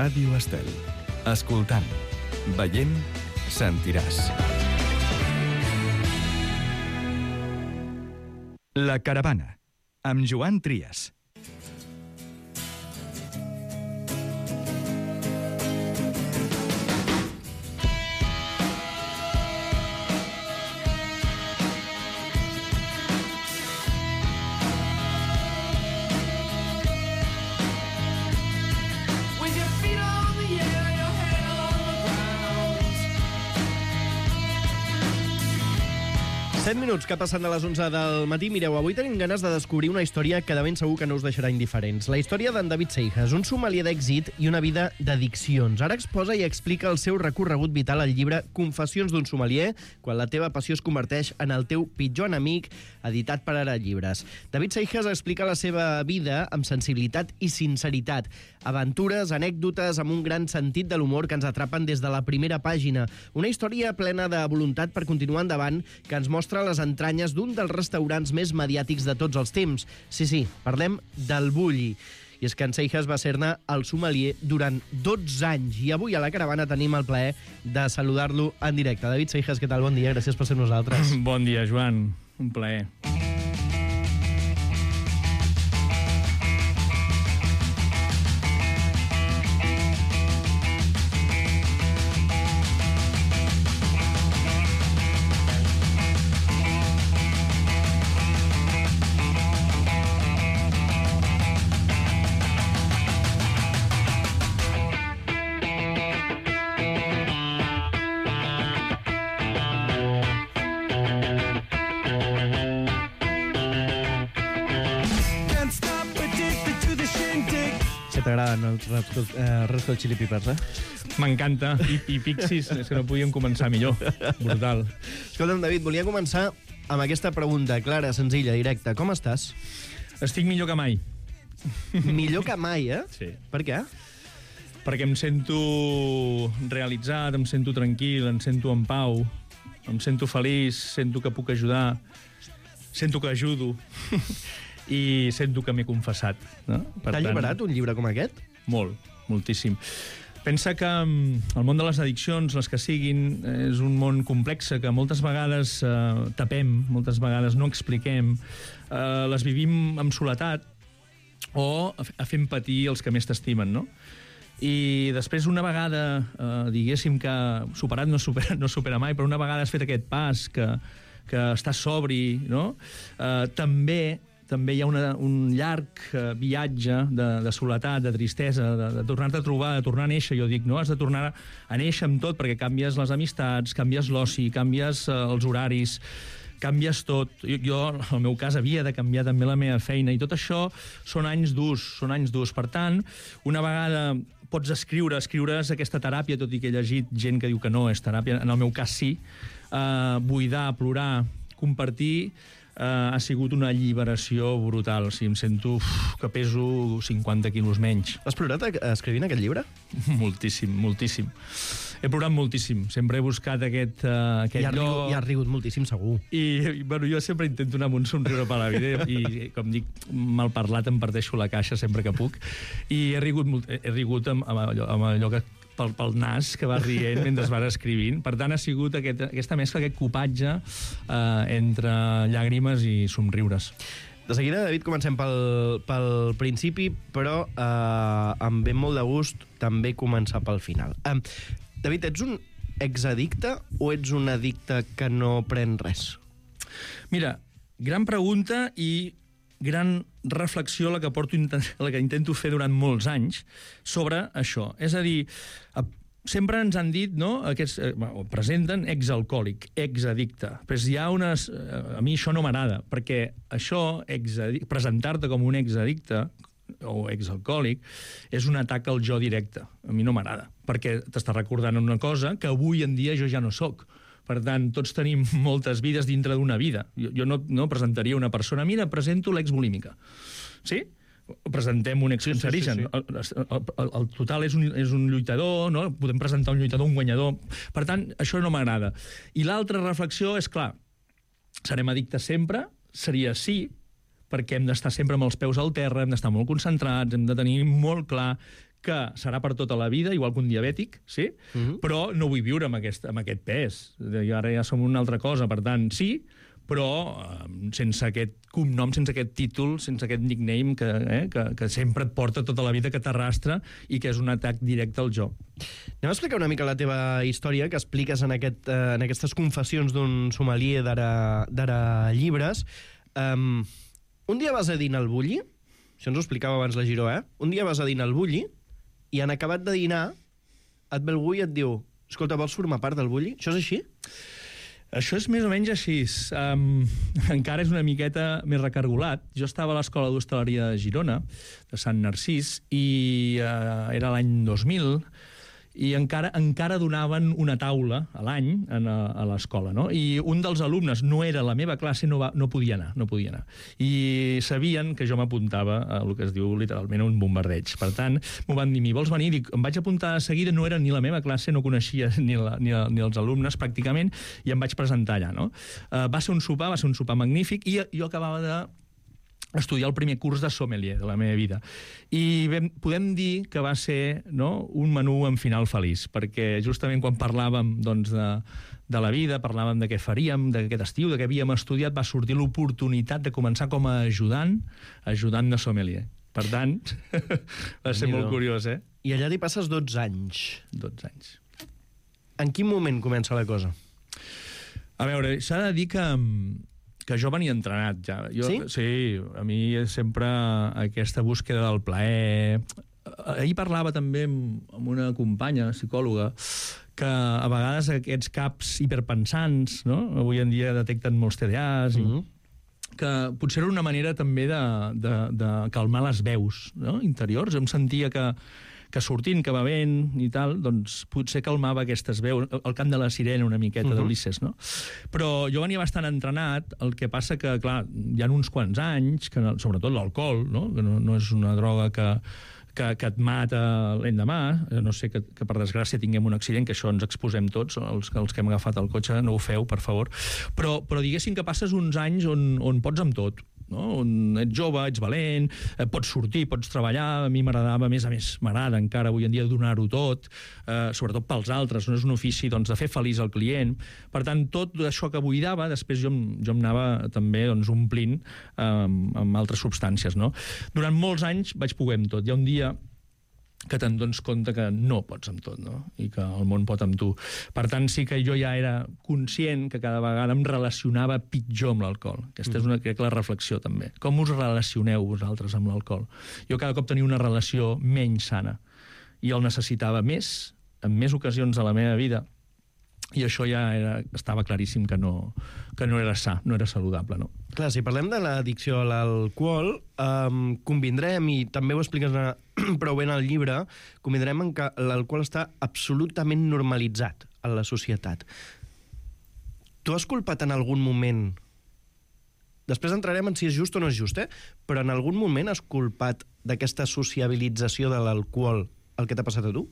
Ràdio Estel. Escoltant, veient, sentiràs. La Caravana, amb Joan Trias. Set minuts que passen de les 11 del matí. Mireu, avui tenim ganes de descobrir una història que de ben segur que no us deixarà indiferents. La història d'en David Seijas, un sommelier d'èxit i una vida d'addiccions. Ara exposa i explica el seu recorregut vital al llibre Confessions d'un sommelier, quan la teva passió es converteix en el teu pitjor enemic, editat per Ara Llibres. David Seijas explica la seva vida amb sensibilitat i sinceritat. Aventures, anècdotes, amb un gran sentit de l'humor que ens atrapen des de la primera pàgina. Una història plena de voluntat per continuar endavant, que ens mostra les entranyes d'un dels restaurants més mediàtics de tots els temps. Sí, parlem del Bulli. I és que en Seijas va ser-ne el sommelier durant 12 anys. I avui a la Caravana tenim el plaer de saludar-lo en directe. David Seijas, què tal? Bon dia, gràcies per ser nosaltres. Bon dia, Joan. Un plaer. T'agraden els Red Hot Chili Peppers, M'encanta. I Pixies, és que no podíem començar millor. Brutal. Escolta'm, David, volia començar amb aquesta pregunta clara, senzilla, directa. Com estàs? Estic millor que mai. Millor que mai, Sí. Per què? Perquè em sento realitzat, em sento tranquil, em sento en pau, em sento feliç, sento que puc ajudar, sento que ajudo i sento que m'he confessat. No? T'ha alliberat un llibre com aquest? Molt, moltíssim. Pensa que el món de les addiccions, les que siguin, és un món complex que moltes vegades tapem, moltes vegades no expliquem, les vivim amb soledat o fent patir els que més t'estimen, no? I després, una vegada, diguéssim que superat no supera mai, però una vegada has fet aquest pas, que estàs sobri, no? També hi ha un llarg viatge de soledat, de tristesa, de tornar-te a trobar, de tornar a néixer, jo dic, no? Has de tornar a néixer amb tot, perquè canvies les amistats, canvies l'oci, canvies els horaris, canvies tot. Jo, en el meu cas, havia de canviar també la meva feina, i tot això són anys durs. Per tant, una vegada pots escriure és aquesta teràpia, tot i que he llegit gent que diu que no és teràpia, en el meu cas sí, buidar, plorar, compartir, ha sigut una alliberació brutal. O sigui, em sento que peso 50 quilos menys. Has plorat escrivint aquest llibre? Moltíssim, moltíssim. He plorat moltíssim. Sempre he buscat aquest lloc. I has rigut moltíssim, segur. I bueno, jo sempre intento anar amb un somriure per la vida i, com dic, mal parlat em parteixo la caixa sempre que puc. I he rigut amb allò que pel nas que va rient mentre vas escrivint. Per tant, ha sigut aquesta mescla, aquest copatge entre llàgrimes i somriures. De seguida, David, comencem pel principi, però em ve molt de gust també començar pel final. David, ets un exaddicte o ets un addicte que no pren res? Mira, gran pregunta i gran reflexió la que intento fer durant molts anys sobre això. És a dir, sempre ens han dit, no?, presenten exalcohòlic, exaddicte. Però hi ha unes... A mi això no m'agrada, perquè això, presentar-te com un exaddicte o exalcohòlic, és un atac al jo directe. A mi no m'agrada, perquè t'està recordant una cosa que avui en dia jo ja no sóc. Per tant, tots tenim moltes vides dintre d'una vida. Jo no presentaria una persona, mira, presento l'exvolímica. Sí? Presentem un excancerigen. Sí. El total és un lluitador, no? Podem presentar un lluitador, un guanyador. Per tant, això no m'agrada. I l'altra reflexió és, clar, serem addictes sempre? Seria sí, perquè hem d'estar sempre amb els peus al terra, hem d'estar molt concentrats, hem de tenir molt clar que serà per tota la vida, igual que un diabètic, sí? Però no vull viure amb aquest pes. I ara ja som una altra cosa, per tant, sí, però sense aquest cognom, sense aquest títol, sense aquest nickname que sempre et porta tota la vida, que t'arrastra i que és un atac directe al jo. Anem a explicar una mica la teva història, que expliques en aquestes confessions d'un sommelier d'ara llibres. Un dia vas a dinar al Bulli, això ens ho explicava abans la Giró, Un dia vas a dinar al Bulli i en acabat de dinar et ve algú i et diu: escolta, vols formar part del Bulli? Això és així? Això és més o menys així. Encara és una miqueta més recargolat. Jo estava a l'Escola d'Hostaleria de Girona, de Sant Narcís, i era l'any 2000, i encara donaven una taula a l'any a l'escola, no? I un dels alumnes, no era la meva classe, no podia anar. I sabien que jo m'apuntava a el que es diu literalment un bombardeig. Per tant, m'ho van dir: vols venir? Dic, em vaig apuntar de seguida, no era ni la meva classe, no coneixia ni els alumnes pràcticament, i em vaig presentar allà, no? Va ser un sopar magnífic, i jo acabava de estudiar el primer curs de sommelier de la meva vida. I podem dir que va ser, no, un menú amb final feliç, perquè justament quan parlàvem de la vida, parlàvem de què faríem, d'aquest estiu, de què havíem estudiat, va sortir l'oportunitat de començar com a ajudant de sommelier. Per tant, va ser molt curiós, I allà t'hi passes 12 anys. 12 anys. En quin moment comença la cosa? A veure, s'ha de dir que jo venia entrenat ja. Sí, a mi sempre aquesta búsqueda del plaer. Ahir parlava també amb una companya, psicòloga, que a vegades aquests caps hiperpensants, no? Avui en dia detecten molts TDAs, que potser era una manera també de calmar les veus, no? Interiors. Em sentia que sortint, que bevent i tal, doncs potser calmava aquestes veus, el cant de la sirena una miqueta d'Ulisses, no? Però jo venia bastant entrenat, el que passa que, clar, hi ha uns quants anys, que sobretot l'alcohol, no? Que no és una droga que et mata l'endemà, no sé que per desgràcia tinguem un accident, que això ens exposem tots, els que hem agafat el cotxe, no ho feu, per favor, però diguéssim que passes uns anys on pots amb tot, no? On ets jove, ets valent, pots sortir, pots treballar. A mi m'agradava, a més, m'agrada encara avui en dia donar-ho tot, sobretot pels altres, no és un ofici de fer feliç el client. Per tant, tot això que buidava, després jo em anava també omplint amb altres substàncies, no? Durant molts anys vaig poder amb tot. Hi ha un dia que te'n dones compte que no pots amb tot, no? I que el món pot amb tu. Per tant, sí que jo ja era conscient que cada vegada em relacionava pitjor amb l'alcohol. Aquesta és crec, la reflexió, també. Com us relacioneu vosaltres amb l'alcohol? Jo cada cop tenia una relació menys sana i el necessitava més, en més ocasions de la meva vida, i això ja estava claríssim que no era sa, no era saludable, no? Clar, si parlem de l'addicció a l'alcohol, convindrem, i també ho expliques prou bé en el llibre, convindrem en que l'alcohol està absolutament normalitzat en la societat. Tu has culpat en algun moment, després entrarem en si és just o no és just, però en algun moment has culpat d'aquesta sociabilització de l'alcohol el que t'ha passat a tu?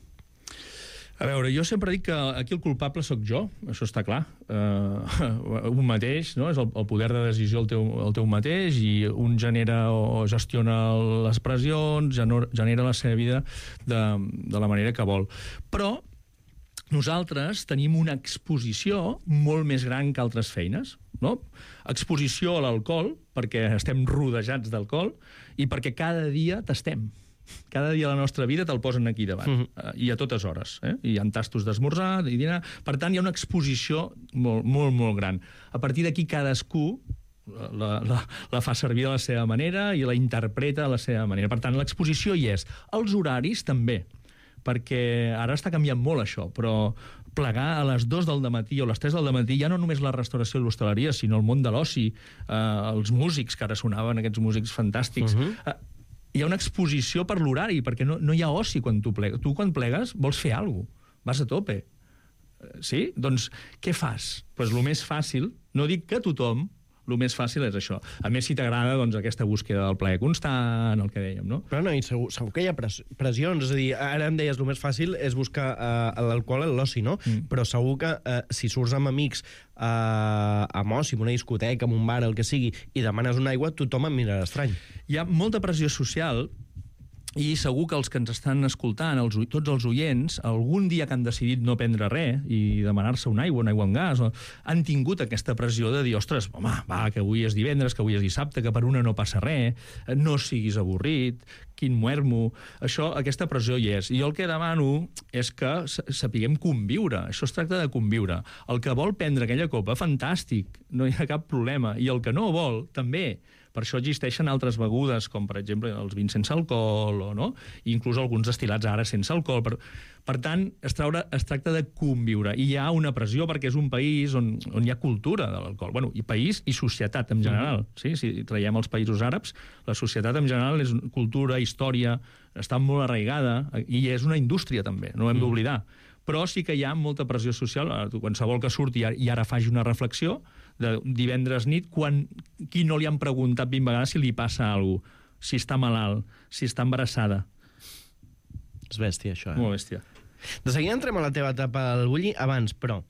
A veure, jo sempre dic que aquí el culpable sóc jo, això està clar. Un mateix, no? És el poder de decisió el teu mateix, i un genera o gestiona les pressions, genera la seva vida de la manera que vol. Però nosaltres tenim una exposició molt més gran que altres feines, no? Exposició a l'alcohol, perquè estem rodejats d'alcohol, i perquè cada dia tastem. Cada dia de la nostra vida te'l posen aquí davant, i a totes hores. Hi ha tastos d'esmorzar i dinar. Per tant, hi ha una exposició molt, molt, molt gran. A partir d'aquí, cadascú la fa servir de la seva manera i la interpreta de la seva manera. Per tant, l'exposició hi és. Els horaris també, perquè ara està canviant molt això, però plegar a les 2 del matí o les 3 del matí ja no només la restauració i l'hostaleria, sinó el món de l'oci, els músics, que ara sonaven aquests músics fantàstics. Hi ha una exposició per l'horari, perquè no hi ha oci quan tu plegues. Tu, quan plegues, vols fer alguna cosa. Vas a tope. Sí? Doncs què fas? Doncs el més fàcil, no dic que tothom, el més fàcil és això. A més, si t'agrada, doncs, aquesta búsqueda del plaer constant, el que dèiem, no? Però no, i segur que hi ha pressions. És a dir, ara em deies, el més fàcil és buscar l'alcohol en l'oci, no? Però segur que si surts amb amics amb oci, en una discoteca, en un bar, el que sigui, i demanes una aigua, tothom et mirarà estrany. Hi ha molta pressió social I segur que els que ens estan escoltant, tots els oients, algun dia que han decidit no prendre res i demanar-se una aigua amb gas, han tingut aquesta pressió de dir, ostres, home, va, que avui és divendres, que avui és dissabte, que per una no passa res, no siguis avorrit, quin muermo... Aquesta pressió hi és. I jo el que demano és que sapiguem conviure. Això es tracta de conviure. El que vol prendre aquella copa, fantàstic, no hi ha cap problema. I el que no vol, també. Per això existeixen altres begudes, com per exemple els vins sense alcohol, no? I inclús alguns destil·lats ara sense alcohol. Per tant, es tracta de conviure. I hi ha una pressió perquè és un país on hi ha cultura de l'alcohol. Bueno, i país i societat en general. Sí? Si traiem els països àrabs, la societat en general és cultura, història, està molt arraigada i és una indústria també, no ho hem d'oblidar. Però sí que hi ha molta pressió social. Qualsevol que surti i ara faci una reflexió de divendres nit, qui no li han preguntat 20 vegades si li passa alguna cosa, si està malalt, si està embarassada. És bèstia, això, Molt bèstia. De seguida entrem a la teva etapa al Bulli. Abans, però,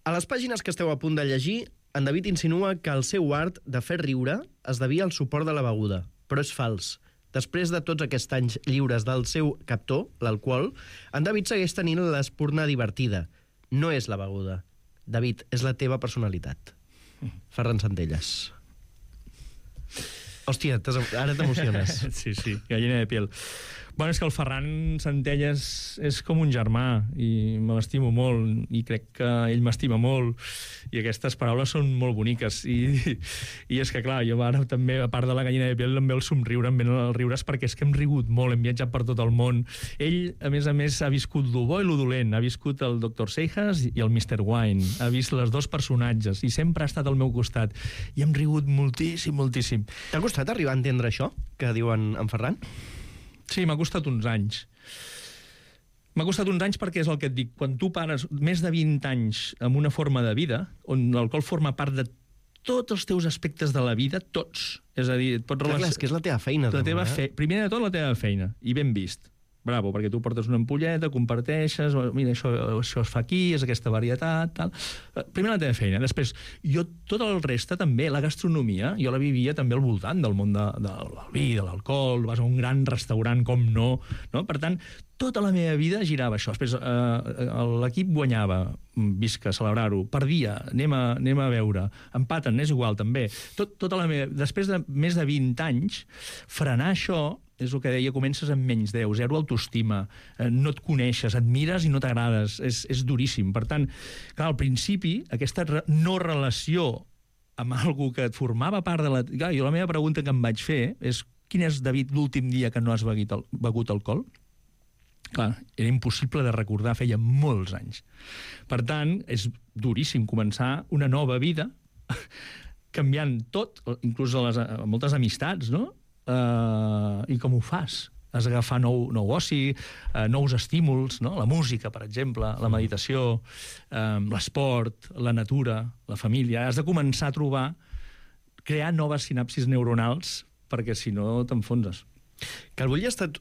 a les pàgines que esteu a punt de llegir, en David insinua que el seu art de fer riure es devia al suport de la beguda. Però és fals. Després de tots aquests anys lliures del seu captor, l'alcohol, en David segueix tenint l'espurna divertida. No és la beguda. David, és la teva personalitat. Ferran Centelles. Hòstia, ara t'emociones. Sí, gallina de piel. Bueno, és que el Ferran Centelles és com un germà i me l'estimo molt i crec que ell m'estima molt i aquestes paraules són molt boniques i és que clar, jo ara també a part de la gallina de piel em ve el somriure, em venen els riures perquè és que hem rigut molt, hem viatjat per tot el món. Ell, a més, ha viscut lo bo i lo dolent, ha viscut el Dr. Seijas i el Mr. Wine, ha vist els dos personatges i sempre ha estat al meu costat i hem rigut moltíssim, moltíssim. T'ha costat arribar a entendre això que diuen en Ferran? Sí, m'ha costat uns anys. M'ha costat uns anys perquè és el que et dic. Quan tu pares més de 20 anys amb una forma de vida, on l'alcohol forma part de tots els teus aspectes de la vida, tots. És a dir, Clar, és que és la teva feina. Primer de tot, la teva feina. I ben vist. Bravo, perquè tu portes una ampolleta, comparteixes, mira, això es fa aquí, és aquesta varietat, tal. Primer la teva feina. Després, jo tot el reste també, la gastronomia, jo la vivia també al voltant del món del vi, de l'alcohol, vas a un gran restaurant, com no? Per tant, tota la meva vida girava això. Després, l'equip guanyava, visca, celebrar-ho, perdia, anem a veure, empaten, és igual, també. Tota la meva... Després de més de 20 anys, frenar això, és el que deia, comences amb menys 10, zero autoestima, no et coneixes, et mires i no t'agrades, és duríssim. Per tant, clar, al principi, aquesta no relació amb algú que et formava part de la... Clar, jo la meva pregunta que em vaig fer és quin és, David, l'últim dia que no has begut alcohol? Clar, era impossible de recordar, feia molts anys. Per tant, és duríssim començar una nova vida, canviant tot, inclús moltes amistats, no? I com ho fas? Has d'agafar nou oci, nous estímuls, no? La música, per exemple, la meditació, l'esport, la natura, la família. Has de començar a crear noves sinapsis neuronals, perquè si no t'enfonses. Que el Bulli ha estat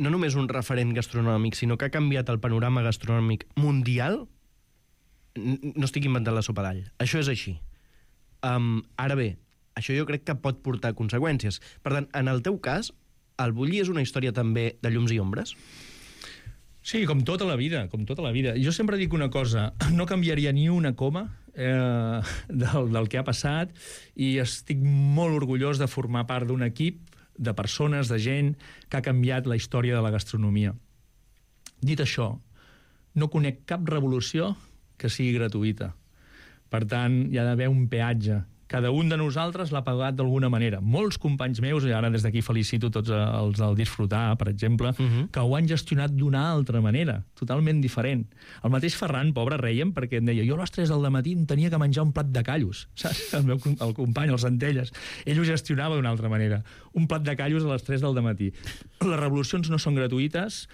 no només un referent gastronòmic, sinó que ha canviat el panorama gastronòmic mundial, no estic inventant la sopa d'all. Això és així. Ara bé, això jo crec que pot portar conseqüències. Per tant, en el teu cas, el Bulli és una història també de llums i ombres? Sí, com tota la vida, com tota la vida. Jo sempre dic una cosa, no canviaria ni una coma del que ha passat i estic molt orgullós de formar part d'un equip de persones, de gent que ha canviat la història de la gastronomia. Dit això, no conec cap revolució que sigui gratuïta. Per tant, hi ha d'haver un peatge. Cada un de nosaltres l'ha pagat d'alguna manera. Molts companys meus, i ara des d'aquí felicito tots els del Disfrutar, per exemple, que ho han gestionat d'una altra manera, totalment diferent. El mateix Ferran, pobre, reiem perquè em deia jo a les 3 del matí em tenia que menjar un plat de callos, saps? El company, el Centelles. Ell ho gestionava d'una altra manera. Un plat de callos a les 3 del matí. Les revolucions no són gratuïtes,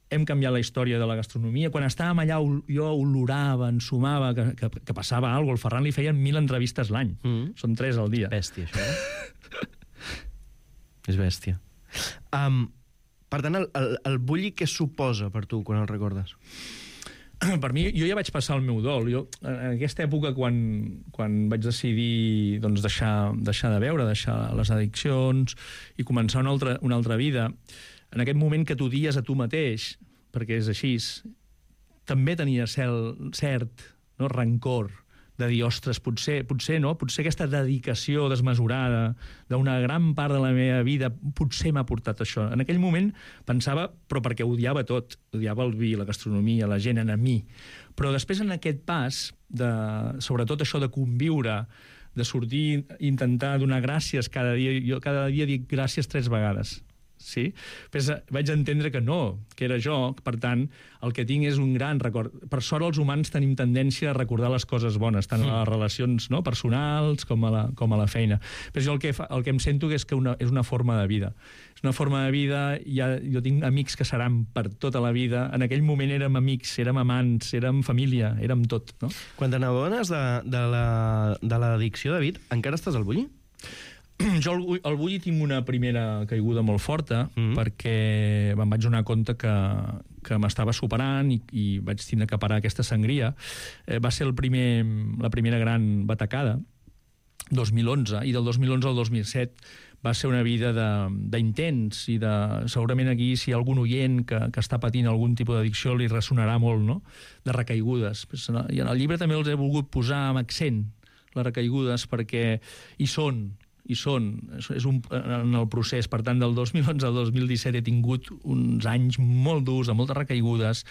hem canviat la història de la gastronomia. Quan estàvem allà jo olorava, ensumava que passava alguna cosa. El Ferran li feien 1.000 entrevistes l'any. Són 3 al dia. Bèstia, això. És bèstia. Per tant, el Bulli què suposa per tu quan el recordes? Per mi, jo ja vaig passar el meu dol. Jo, en aquesta època, quan vaig decidir deixar de beure, deixar les addiccions i començar una altra vida, en aquest moment que t'odies a tu mateix, perquè és així, també tenia cert rancor de dir, ostres, potser aquesta dedicació desmesurada d'una gran part de la meva vida potser m'ha portat això. En aquell moment pensava, però perquè odiava tot, odiava el vi, la gastronomia, la gent en mi. Però després en aquest pas, sobretot això de conviure, de sortir, intentar donar gràcies cada dia, jo cada dia dic gràcies 3 vegades. Sí? Però vaig entendre que no, que era jo, per tant, el que tinc és un gran record. Per sort, els humans tenim tendència a recordar les coses bones, tant a les relacions personals com a la feina. Però jo el que em sento és que és una forma de vida. És una forma de vida, jo tinc amics que seran per tota la vida. En aquell moment érem amics, érem amants, érem família, érem tot. No? Quan te n'adones de l'addicció, David, encara estàs al bulli? Jo al bulli tinc una primera caiguda molt forta perquè me'n vaig donar compte que m'estava superant i vaig tindre que parar aquesta sangria. Va ser la primera gran batacada, 2011, i del 2011 al 2007 va ser una vida d'intents i segurament aquí si hi ha algun oient que està patint algun tipus d'addicció li ressonarà molt, no?, de recaigudes. I en el llibre també els he volgut posar amb accent, les recaigudes, perquè hi són, és en el procés. Per tant, del 2011 al 2017 he tingut uns anys molt durs, de moltes recaigudes,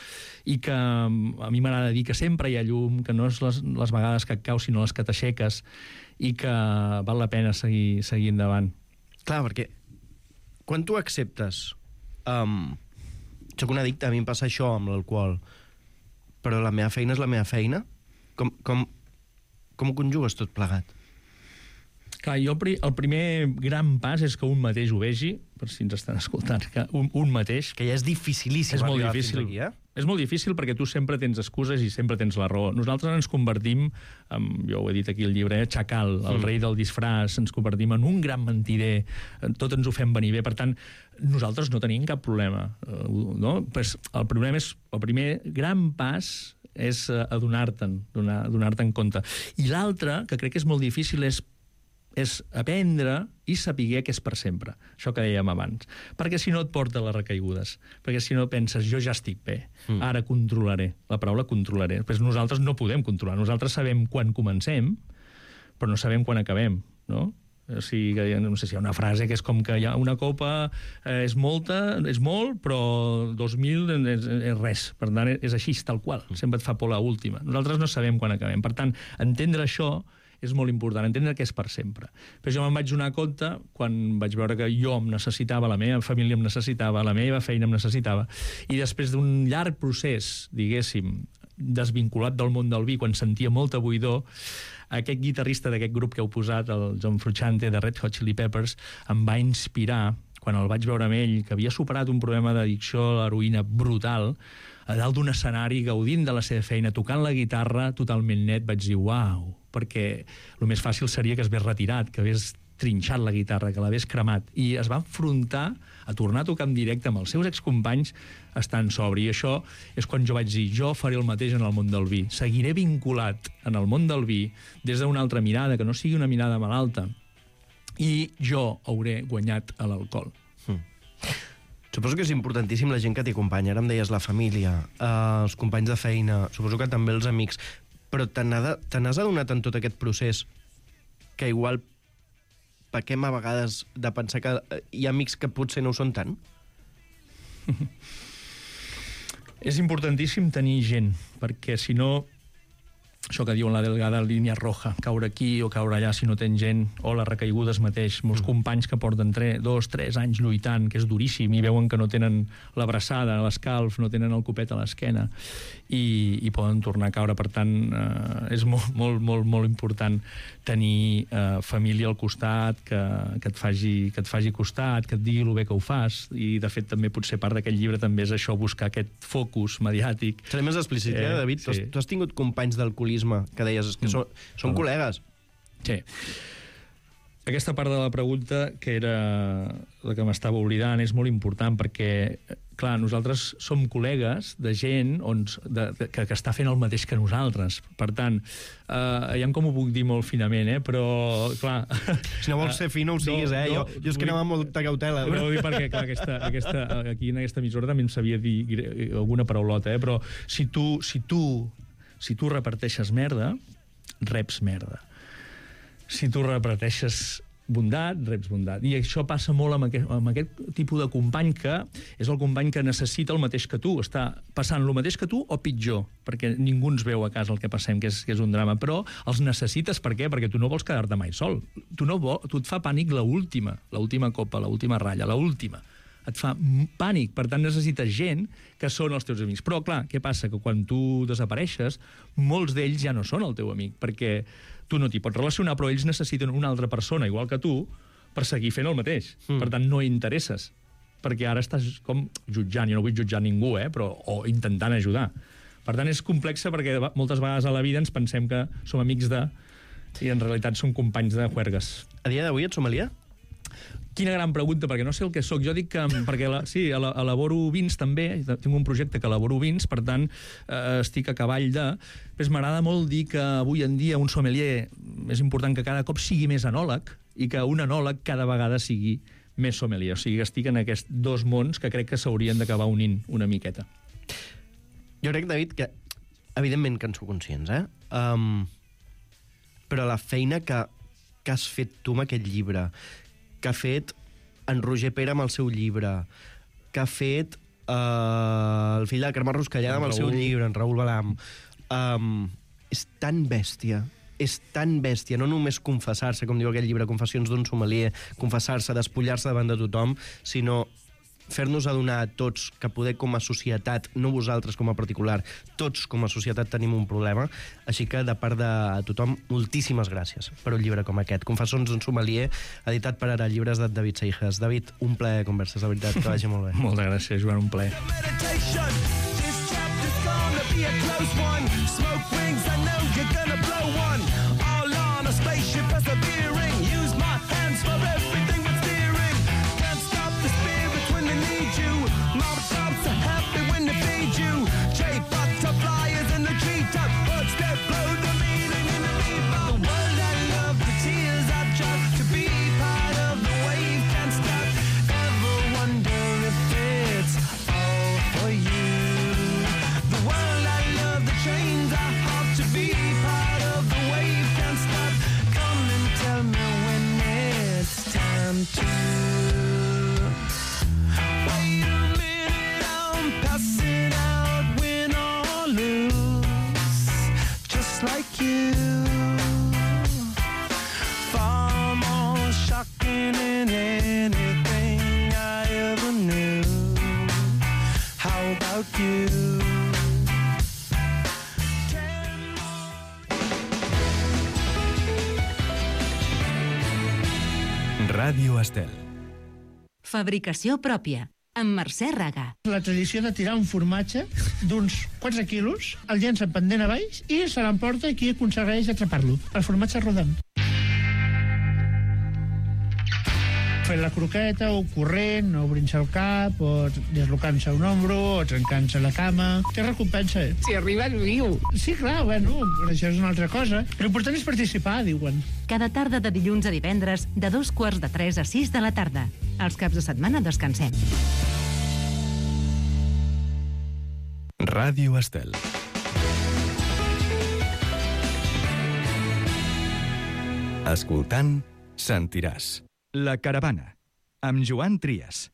i que a mi m'agrada dir que sempre hi ha llum, que no és les vegades que et caus, sinó les que t'aixeques, i que val la pena seguir endavant. Clar, perquè quan tu acceptes soc un addicte, a mi em passa això amb l'alcohol, però la meva feina és la meva feina, com ho conjugues tot plegat? Clar, el primer gran pas és que un mateix ho vegi, per si ens estan escoltant, que un mateix... Que ja és dificilíssim arribar fins aquí, eh? És molt difícil perquè tu sempre tens excuses i sempre tens la raó. Nosaltres ens convertim, jo ho he dit aquí al llibre, Chacal, el rei del disfraç, ens convertim en un gran mentider, tot ens ho fem venir bé. Per tant, nosaltres no tenim cap problema. No? Pues el primer gran pas és adonar-te'n, donar-te en compte. I l'altre, que crec que és molt difícil, és aprendre i saber que és per sempre. Això que dèiem abans. Perquè si no et porta les recaigudes. Perquè si no penses, jo ja estic bé, ara controlaré. La paraula controlaré. Però nosaltres no podem controlar. Nosaltres sabem quan comencem, però no sabem quan acabem, no? O sigui, no sé si hi ha una frase que és com que hi ha una copa és molt, però 2.000 és res. Per tant, és així, tal qual. Sempre et fa por l'última. Nosaltres no sabem quan acabem. Per tant, entendre això és molt important, entendre que és per sempre. Però jo me'n vaig donar compte quan vaig veure que jo em necessitava, la meva família em necessitava, la meva feina em necessitava, i després d'un llarg procés, diguéssim, desvinculat del món del vi, quan sentia molta buidor, aquest guitarrista d'aquest grup que heu posat, el John Frusciante de Red Hot Chili Peppers, em va inspirar, quan el vaig veure amb ell, que havia superat un problema d'addicció a l'heroïna brutal, a dalt d'un escenari, gaudint de la seva feina, tocant la guitarra totalment net, vaig dir, uau, perquè el més fàcil seria que es hagués retirat, que hagués trinxat la guitarra, que l'hagués cremat, i es va enfrontar a tornar a tocar en directe amb els seus excompanys estant sobri. I això és quan jo vaig dir, jo faré el mateix en el món del vi. Seguiré vinculat en el món del vi des d'una altra mirada, que no sigui una mirada malalta, i jo hauré guanyat a l'alcohol. Suposo que és importantíssim la gent que t'hi acompanya. Ara em deies la família, els companys de feina, suposo que també els amics, però te n'has adonat en tot aquest procés que igual pequem a vegades de pensar que hi ha amics que potser no ho són tant? És importantíssim tenir gent, perquè si no, això que diuen la delgada línia roja, caure aquí o caure allà si no tens gent, o les recaigudes mateix, molts companys que porten 2-3 anys lluitant, que és duríssim, i veuen que no tenen l'abraçada, l'escalf, no tenen el copet a l'esquena, i poden tornar a caure. Per tant, és molt, molt, molt, molt important tenir família al costat, que et faci costat, que et digui el bé que ho fas, i de fet també potser part d'aquest llibre també és això, buscar aquest focus mediàtic. Seré més explícit, David? Sí. Tu has tingut companys d'alcoholisme que deies que són col·legues. Sí. Aquesta part de la pregunta, que era la que m'estava oblidant, és molt important perquè, clar, nosaltres som col·legues de gent que està fent el mateix que nosaltres. Per tant, ja com ho puc dir molt finament, però, clar... Si no vols ser fi, no ho siguis, Jo és que anava amb molta cautela. No ho dic perquè, clar, aquí en aquesta emissora també em sabia dir alguna paraulota, però si tu reparteixes merda, reps merda. Si tu reparteixes bondat, reps bondat. I això passa molt amb aquest tipus de company que és el company que necessita el mateix que tu. Està passant el mateix que tu o pitjor, perquè ningú ens veu a casa el que passem, que és un drama. Però els necessites, per què? Perquè tu no vols quedar-te mai sol. Tu et fa pànic l'última copa, l'última ratlla, l'última. Et fa pànic, per tant necessites gent que són els teus amics. Però, clar, què passa? Que quan tu desapareixes, molts d'ells ja no són el teu amic, perquè tu no t'hi pots relacionar, però ells necessiten una altra persona, igual que tu, per seguir fent el mateix. Per tant, no interesses, perquè ara estàs com jutjant, jo no vull jutjar ningú, però o intentant ajudar. Per tant, és complexa perquè moltes vegades a la vida ens pensem que som amics i en realitat som companys de juergues. A dia d'avui ets sommelier? Quina gran pregunta, perquè no sé el que sóc. Jo dic que, perquè elaboro vins també, tinc un projecte que elaboro vins, per tant, estic a cavall de... Però m'agrada molt dir que avui en dia un sommelier és important que cada cop sigui més enòleg i que un enòleg cada vegada sigui més sommelier. O sigui, que estic en aquests dos mons que crec que s'haurien d'acabar unint una miqueta. Jo crec, David, que evidentment que en sou conscients, però la feina que has fet tu amb aquest llibre, que ha fet en Roger Pere amb el seu llibre, que ha fet el fill de Carme Ruscallada amb el seu llibre, en Raül Balam, és tan bèstia, no només confessar-se, com diu aquell llibre, Confessions d'un sommelier, confessar-se, despullar-se davant de tothom, sinó fer-nos adonar a tots que poder com a societat, no vosaltres com a particular, tots com a societat tenim un problema, així que de part de tothom, moltíssimes gràcies per un llibre com aquest, Confessions d'un sommelier, editat per Ara, llibres de David Seijas. David, un plaer de converses, de veritat, que vagi molt bé. Moltes gràcies, Joan, un plaer. Ràdio Estel. Fabricació pròpia, amb Mercè Raga. La tradició de tirar un formatge d'uns 4 quilos, el llença pendent a baix i se l'emporta i qui aconsegueix atrapar-lo. El formatge rodant. Fent la croqueta, o corrent, o obrint-se el cap, o dislocant-se un ombro, o trencant-se la cama. Té recompensa. Si arribes viu. Sí, clar, bueno, però això és una altra cosa. L'important és participar, diuen. Cada tarda de dilluns a divendres, de 2:45 a 6 de la tarda. Els caps de setmana descansem. Ràdio Estel. Escoltant, sentiràs. La Caravana, amb Joan Trias.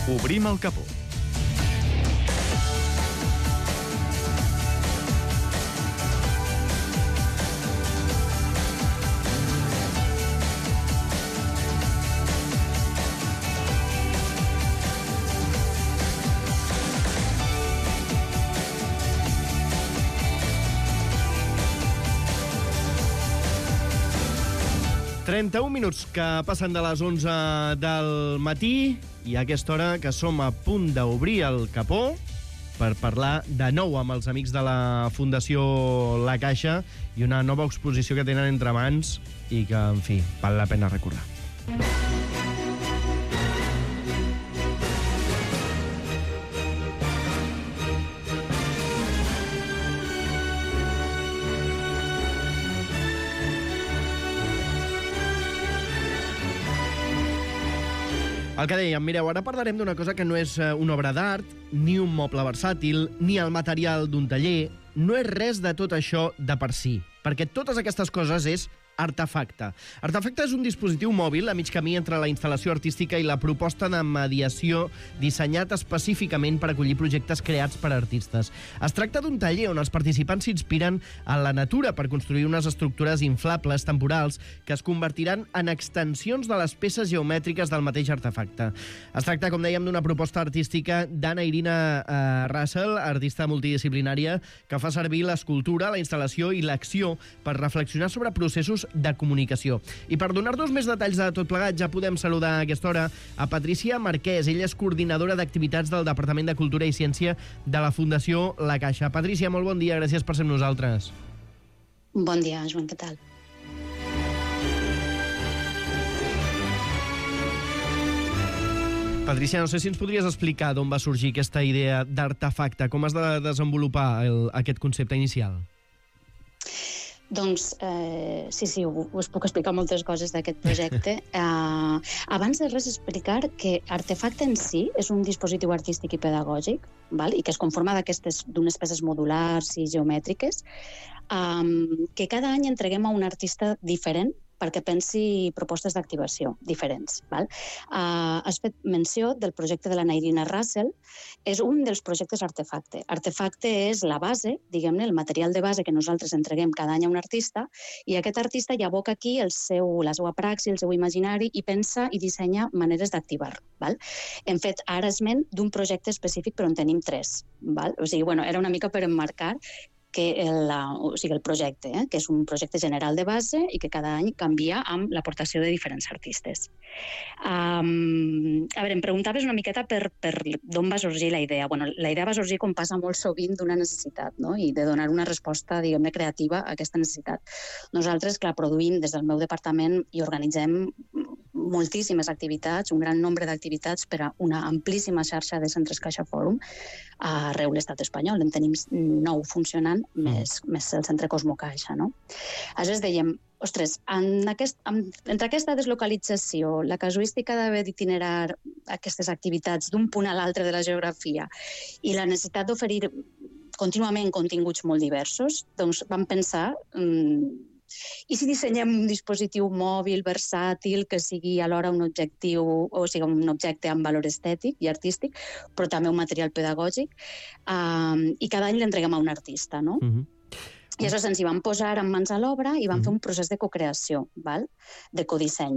Obrim el capó. 31 minuts que passen de les 11 del matí i a aquesta hora que som a punt d'obrir el capó per parlar de nou amb els amics de la Fundació La Caixa i una nova exposició que tenen entre mans i que, en fi, val la pena recordar. El que dèiem, mireu, ara parlarem d'una cosa que no és una obra d'art, ni un moble versàtil, ni el material d'un taller. No és res de tot això de per si, perquè totes aquestes coses és Artefacte. Artefacte és un dispositiu mòbil a mig camí entre la instal·lació artística i la proposta de mediació dissenyat específicament per acollir projectes creats per artistes. Es tracta d'un taller on els participants s'inspiren en la natura per construir unes estructures inflables temporals que es convertiran en extensions de les peces geomètriques del mateix artefacte. Es tracta, com dèiem, d'una proposta artística d'Anna Irina Russell, artista multidisciplinària, que fa servir l'escultura, la instal·lació i l'acció per reflexionar sobre processos de comunicació. I per donar-nos més detalls de tot plegat, ja podem saludar a aquesta hora a Patricia Marquès. Ella és coordinadora d'activitats del Departament de Cultura i Ciència de la Fundació La Caixa. Patricia, molt bon dia, gràcies per ser amb nosaltres. Bon dia, Joan, què tal? Patricia, no sé si ens podries explicar d'on va sorgir aquesta idea d'artefacte, com has de desenvolupar aquest concepte inicial? Doncs sí, us puc explicar moltes coses d'aquest projecte. Abans de res explicar que Artefacte en si és un dispositiu artístic i pedagògic, i que es conforma d'unes peces modulars i geomètriques que cada any entreguem a un artista diferent perquè pensi propostes d'activació diferents. Has fet menció del projecte de la Irina Russell. És un dels projectes Artefacte. Artefacte és la base, diguem-ne, el material de base que nosaltres entreguem cada any a un artista, i aquest artista ja aboca aquí la seva praxi, el seu imaginari, i pensa i dissenya maneres d'activar. Hem fet ara esment d'un projecte específic, però en tenim 3. O sigui, era una mica per emmarcar el projecte, que és un projecte general de base i que cada any canvia amb l'aportació de diferents artistes. A veure, em preguntaves una miqueta per d'on va sorgir la idea. La idea va sorgir, com passa molt sovint, d'una necessitat, i de donar una resposta, diguem-ne, creativa a aquesta necessitat. Nosaltres, clar, produïm des del meu departament i organitzem moltíssimes activitats, un gran nombre d'activitats per a una amplíssima xarxa de centres Caixa Fòrum arreu l'estat espanyol. En tenim 9 funcionant, més el centre Cosmo Caixa. Aleshores dèiem, ostres, entre aquesta deslocalització, la casuística d'haver d'itinerar aquestes activitats d'un punt a l'altre de la geografia i la necessitat d'oferir contínuament continguts molt diversos, doncs vam pensar... I si dissenyem un dispositiu mòbil, versàtil, que sigui alhora un objectiu, o sigui, un objecte amb valor estètic i artístic, però també un material pedagògic, i cada any l'entreguem a un artista, no? I aleshores ens hi vam posar amb mans a l'obra i vam fer un procés de cocreació, de codisseny.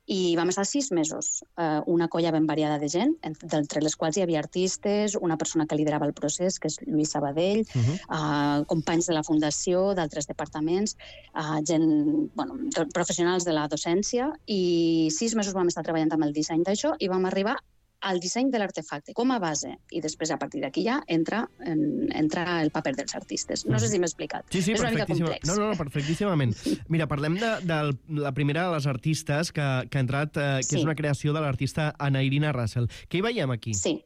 I vam estar 6 mesos, una colla ben variada de gent, entre les quals hi havia artistes, una persona que liderava el procés, que és Lluís Sabadell, companys de la Fundació, d'altres departaments, professionals de la docència, i 6 mesos vam estar treballant amb el disseny d'això i vam arribar al disseny de l'artefacte com a base, i després a partir d'aquí ja entra el paper dels artistes. No sé si m'he explicat. Sí, és una mica complex. No, perfectíssimament. Mira, parlem de la primera de les artistes que ha entrat, que és una creació de l'artista Anna Irina Russell. Què hi veiem aquí? Sí.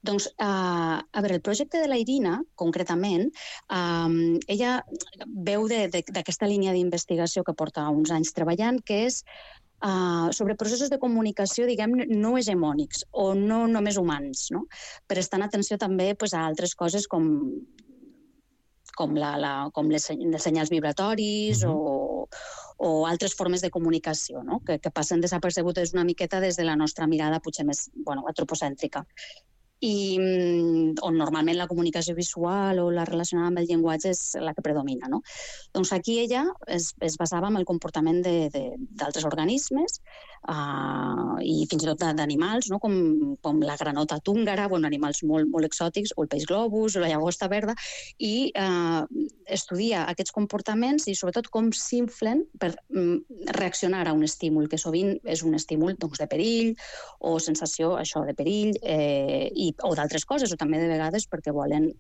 Doncs, a veure, el projecte de la Irina, concretament, ella veu d'aquesta línia d'investigació que porta uns anys treballant, que és sobre processos de comunicació, diguem, no hegemònics o no només humans, prestant atenció també a altres coses com els senyals vibratoris o altres formes de comunicació, que passen desapercebudes una miqueta des de la nostra mirada potser més antropocèntrica. i on normalment la comunicació visual o la relacionada amb el llenguatge és la que predomina, no? Doncs aquí ella es basava en el comportament d'altres organismes i fins i tot d'animals, no? com la granota túngara, animals molt exòtics, o el peix globus, o la llagosta verda, i estudia aquests comportaments i sobretot com s'inflen per reaccionar a un estímul, que sovint és un estímul de perill o sensació de perill o d'altres coses, o també de vegades perquè volen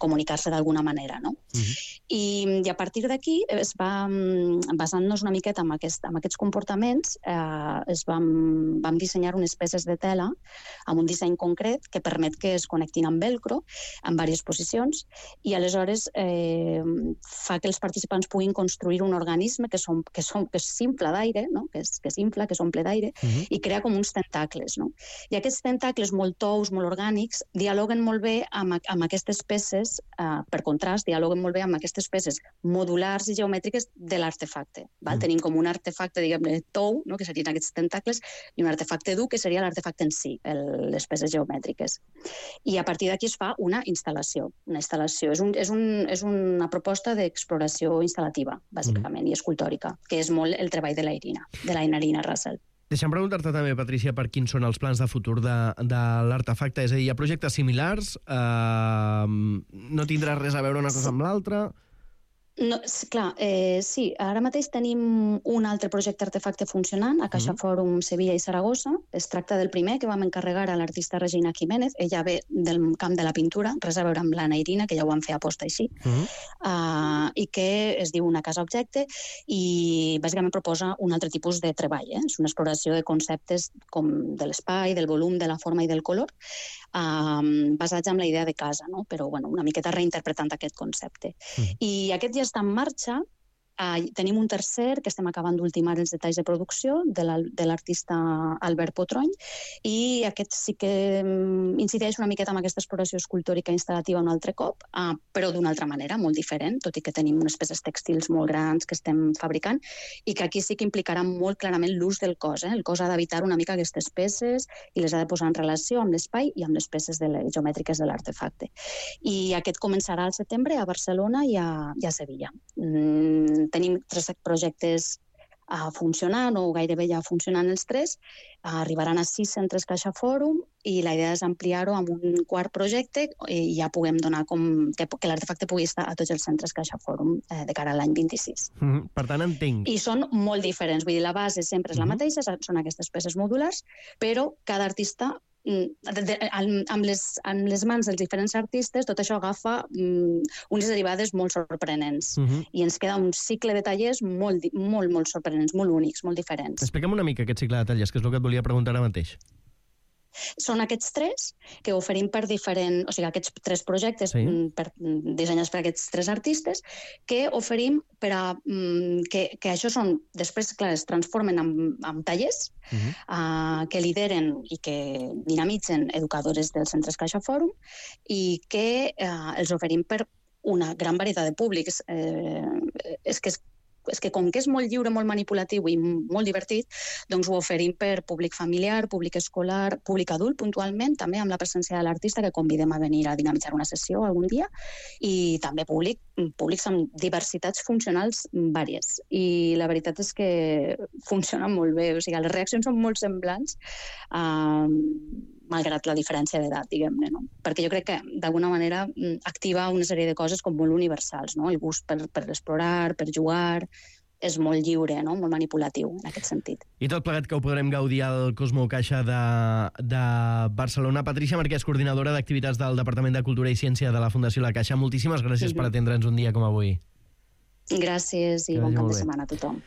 comunicar-se d'alguna manera. No? I a partir d'aquí, basant-nos una miqueta en aquests comportaments, vam dissenyar unes peces de tela amb un disseny concret que permet que es connectin amb velcro en diverses posicions i aleshores fa que els participants puguin construir un organisme que s'infla d'aire, no? que s'infla, que s'omple d'aire, i crea com uns tentacles. No? I aquests tentacles molt tous, molt orgànics, dialoguen molt bé amb aquestes peces, per contrast, dialoguen molt bé amb aquestes peces modulars i geomètriques de l'artefacte. Tenim com un artefacte, diguem-ne, tou, no? que serien aquests tentacles, i un artefacte dur, que seria l'artefacte en si, les peces geomètriques. I a partir d'aquí es fa una instal·lació. Una instal·lació és una proposta d'exploració instal·lativa, bàsicament, i escultòrica, que és molt el treball de l'Ainarina Russell. Deixa'm preguntar-te també, Patrícia, per quins són els plans de futur de l'artefacte. És a dir, hi ha projectes similars? No tindrà res a veure una cosa amb l'altra? No, clar, sí. Ara mateix tenim un altre projecte artefacte funcionant a Caixa Fòrum Sevilla i Saragossa. Es tracta del primer que vam encarregar a l'artista Regina Jiménez. Ella ve del camp de la pintura, res a veure amb l'Anna Irina, que ja ho van fer a posta així, i que es diu Una casa objecte i bàsicament proposa un altre tipus de treball. És una exploració de conceptes com de l'espai, del volum, de la forma i del color, basats en la idea de casa, no? Però una miqueta reinterpretant aquest concepte. I aquest ja està en marxa. Tenim un tercer que estem acabant d'ultimar els detalls de producció de l'artista Albert Potrony, i aquest sí que incideix una miqueta en aquesta exploració escultòrica instal·lativa un altre cop, però d'una altra manera, molt diferent, tot i que tenim unes peces textils molt grans que estem fabricant i que aquí sí que implicarà molt clarament l'ús del cos. El cos ha d'habitar una mica aquestes peces i les ha de posar en relació amb l'espai i amb les peces geomètriques de l'artefacte. I aquest començarà al setembre a Barcelona i a Sevilla. Tenim 3 projectes funcionant, o gairebé ja funcionant els 3. Arribaran a 6 centres Caixa Fòrum i la idea és ampliar-ho amb un quart projecte i ja puguem donar que l'artefacte pugui estar a tots els centres Caixa Fòrum de cara a l'any 26. Per tant, entenc. I són molt diferents. Vull dir, la base sempre és la mateixa, són aquestes peces modulars, però cada artista amb les mans dels diferents artistes, tot això agafa unes derivades molt sorprenents. I ens queda un cicle de tallers molt sorprenents, molt únics, molt diferents. Explica'm una mica aquest cicle de tallers, que és el que et volia preguntar ara mateix. Són aquests 3 que oferim per diferents... O sigui, aquests 3 projectes dissenyats per aquests 3 artistes que oferim per a... que això són... Després, clar, es transformen en tallers que lideren i que dinamitzen educadores dels centres Caixa Fòrum i que els oferim per una gran varietat de públics. És que com que és molt lliure, molt manipulatiu i molt divertit, doncs ho oferim per públic familiar, públic escolar, públic adult puntualment, també amb la presència de l'artista que convidem a venir a dinamitzar una sessió algun dia, i també públics amb diversitats funcionals vàries. I la veritat és que funciona molt bé, o sigui, les reaccions són molt semblants, malgrat la diferència d'edat, diguem-ne, no? Perquè jo crec que, d'alguna manera, activa una sèrie de coses com molt universals, no? El gust per explorar, per jugar, és molt lliure, no? Molt manipulatiu, en aquest sentit. I tot plegat que ho podrem gaudir al Cosmo Caixa de Barcelona. Patrícia Marquès, coordinadora d'activitats del Departament de Cultura i Ciència de la Fundació La Caixa, moltíssimes gràcies per atendre'ns un dia com avui. Gràcies i bon cap de setmana a tothom.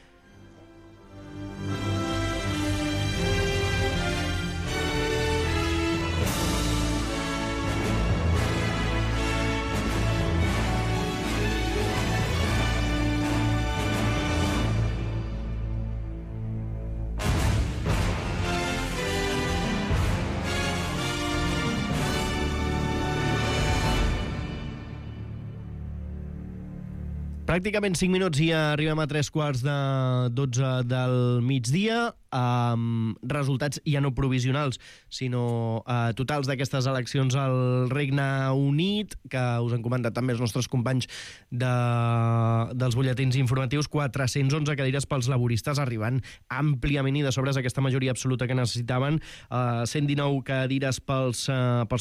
Pràcticament 5 minuts i arribem a 3:45 del migdia, amb resultats ja no provisionals, sinó totals d'aquestes eleccions al Regne Unit, que us han comentat també els nostres companys dels butlletins informatius. 411 cadires pels laboristes, arribant àmpliament i de sobres aquesta majoria absoluta que necessitaven. 119 cadires pels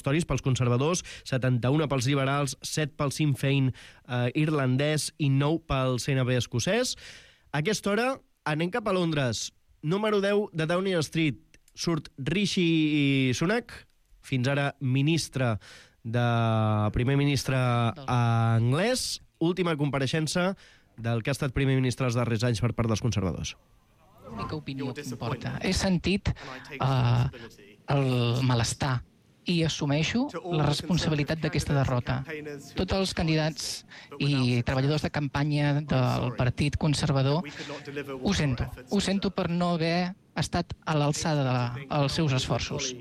Tories, pels conservadors, 71 pels liberals, 7 pel Sinn Féin irlandès i 9 pel CNB escocès. A aquesta hora anem cap a Londres. Número 10 de Downing Street. Surt Rishi Sunak, fins ara primer ministre anglès. Última compareixença del que ha estat primer ministre els darrers anys per part dels conservadors. L'única opinió que importa. He sentit el malestar i assumeixo la responsabilitat d'aquesta derrota. Tots els candidats i treballadors de campanya del Partit Conservador ho sento per no haver estat a l'alçada dels seus esforços.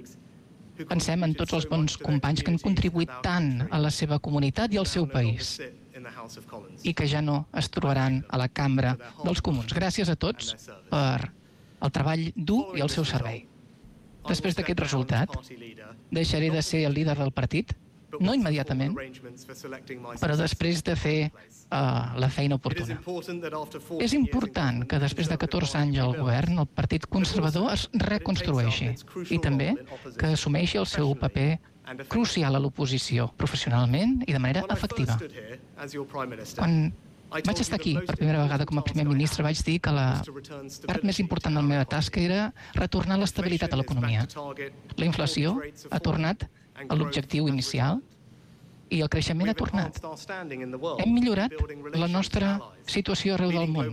Pensem en tots els bons companys que han contribuït tant a la seva comunitat i al seu país i que ja no es trobaran a la cambra dels comuns. Gràcies a tots per el treball dur i el seu servei. Després d'aquest resultat, deixaré de ser el líder del partit, no immediatament, però després de fer la feina oportuna. És important que després de 14 anys al govern el Partit Conservador es reconstrueixi i també que assumeixi el seu paper crucial a l'oposició, professionalment i de manera efectiva. Quan vaig estar aquí per primera vegada com a primer ministre, vaig dir que la part més important de la meva tasca era retornar l'estabilitat a l'economia. La inflació ha tornat a l'objectiu inicial i el creixement ha tornat. Hem millorat la nostra situació arreu del món,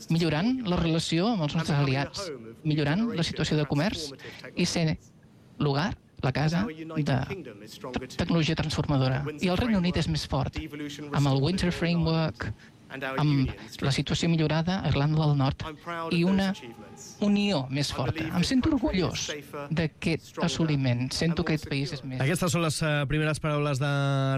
millorant la relació amb els nostres aliats, millorant la situació de comerç i ser l'hogar, la casa de tecnologia transformadora. I el Regne Unit és més fort, amb el Winter Framework, amb la situació millorada a Irlanda del Nord i una unió més forta. Em sento orgullós d'aquest assoliment. Sento que aquest país és més... Aquestes són les primeres paraules de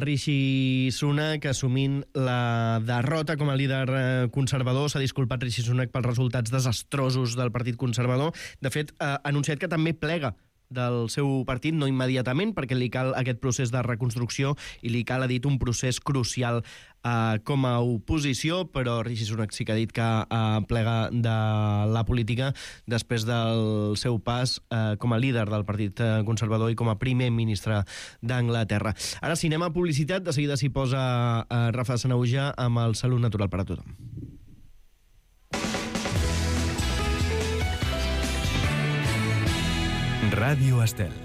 Rishi Sunak, assumint la derrota com a líder conservador. S'ha disculpat Rishi Sunak pels resultats desastrosos del Partit Conservador. De fet, ha anunciat que també plega del seu partit, no immediatament, perquè li cal aquest procés de reconstrucció i li cal, ha dit, un procés crucial com a oposició, però Rishi Sunak sí que ha dit que plega de la política després del seu pas com a líder del Partit Conservador i com a primer ministre d'Anglaterra. Ara, si anem a publicitat, de seguida s'hi posa Rafa Sanahuja amb el Salut Natural per a tothom. Ràdio Estel.